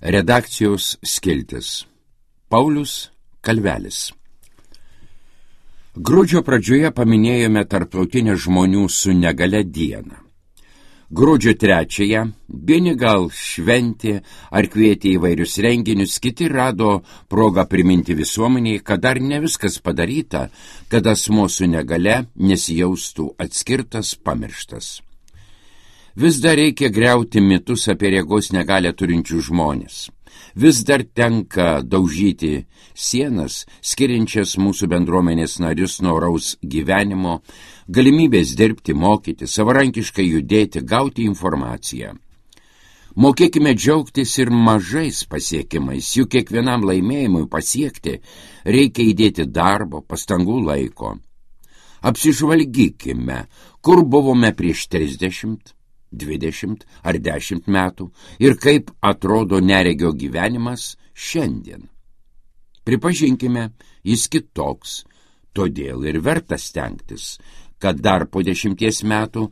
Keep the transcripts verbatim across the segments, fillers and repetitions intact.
Redakcijos skiltis. Paulius Kalvelis. Gruodžio pradžioje paminėjome tarptautinę žmonių su negale dieną. Gruodžio trečiąją vieni gal šventė ar kvietė įvairius renginius, kiti rado progą priminti visuomeniai, kad dar ne viskas padaryta, kad asmuo su negale nesijaustų atskirtas, pamirštas. Vis dar reikia griauti mitus apie regos negalią turinčių žmonės. Vis dar tenka daužyti sienas, skiriančias mūsų bendruomenės narius nuo oraus gyvenimo, galimybės dirbti, mokyti, savarankiškai judėti, gauti informaciją. Mokėkime džiaugtis ir mažais pasiekimais, juk kiekvienam laimėjimui pasiekti reikia įdėti darbo, pastangų, laiko. Apsižvalgykime, kur buvome prieš trisdešimt, dvidešimt ar dešimt metų ir kaip atrodo neregio gyvenimas šiandien. Pripažinkime, jis kitoks, todėl ir verta stengtis, kad dar po dešimties metų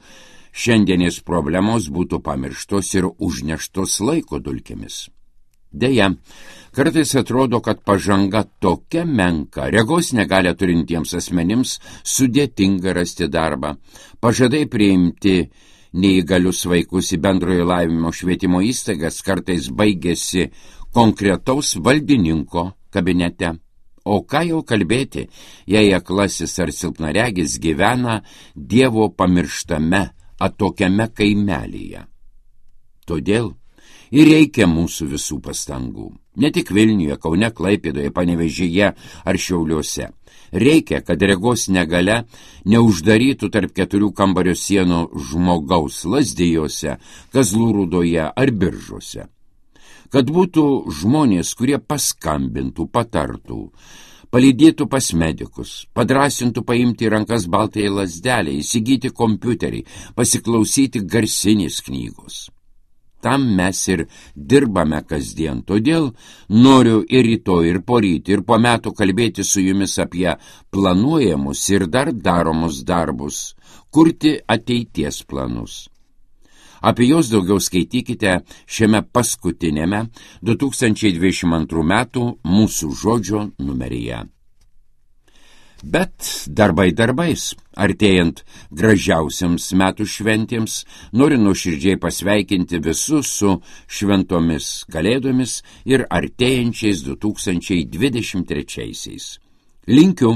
šiandienės problemos būtų pamirštos ir užneštos laiko dulkėmis. Deja, kartais atrodo, kad pažanga tokia menka, regos negalią turintiems asmenims sudėtinga rasti darbą, pažadai priimti neįgalius vaikus į bendrojo lavinimo švietimo įstaigas kartais baigėsi konkretaus valdininko kabinete. O ką jau kalbėti, jei aklasis ar silpnaregis gyvena Dievo pamirštame, atokiame kaimelyje. Todėl ir reikia mūsų visų pastangų. Ne tik Vilniuje, Kaune, Klaipėdoje, Panevėžyje ar Šiauliuose. Reikia, kad regos negalia neuždarytų tarp keturių kambario sienų žmogaus Lazdijose, Kazlų Rūdoje ar Biržuose. Kad būtų žmonės, kurie paskambintų, patartų, palydėtų pas medikus, padrasintų paimti į rankas baltąją lazdelę, įsigyti kompiuterį, pasiklausyti garsinės knygos. Tam mes ir dirbame kasdien, todėl noriu ir rytoj, ir poryt, ir po metų kalbėti su jumis apie planuojamus ir dar daromus darbus, kurti ateities planus. Apie juos daugiau skaitykite šiame paskutinėme du tūkstančiai dvidešimt antrų metų Mūsų žodžio numeryje. Bet darbai darbais, artėjant gražiausiams metų šventėms, noriu nuoširdžiai pasveikinti visus su šventomis kalėdomis ir artėjančiais du tūkstančiai dvidešimt trečiaisiais. Linkiu,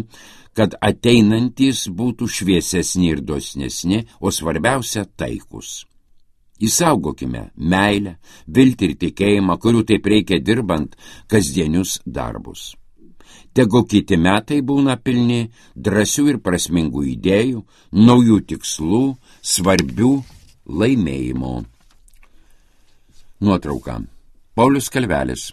kad ateinantys būtų šviesesni ir dosnesni, o svarbiausia taikus. Įsaugokime meilę, viltį ir tikėjimą, kurių taip reikia dirbant kasdienius darbus. Tegu kiti metai būna pilni drąsių ir prasmingų idėjų, naujų tikslų, svarbių laimėjimų. Nuotrauka. Paulius Kalvelis.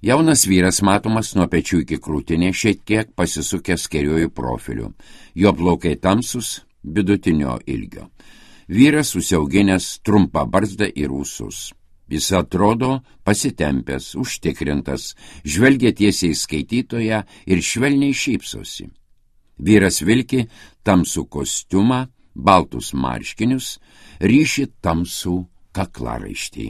Jaunas vyras matomas nuo pečių iki krūtinės, šiek tiek pasisukęs kairiuoju profiliu. Jo plaukai tamsus, vidutinio ilgio. Vyras užsiauginęs trumpą barzdą ir ūsus. Jis atrodo pasitempęs, užtikrintas, žvelgia tiesiai skaitytoją ir švelniai šypsosi. Vyras vilki tamsų kostiumą, baltus marškinius, ryši tamsų kaklaraištį.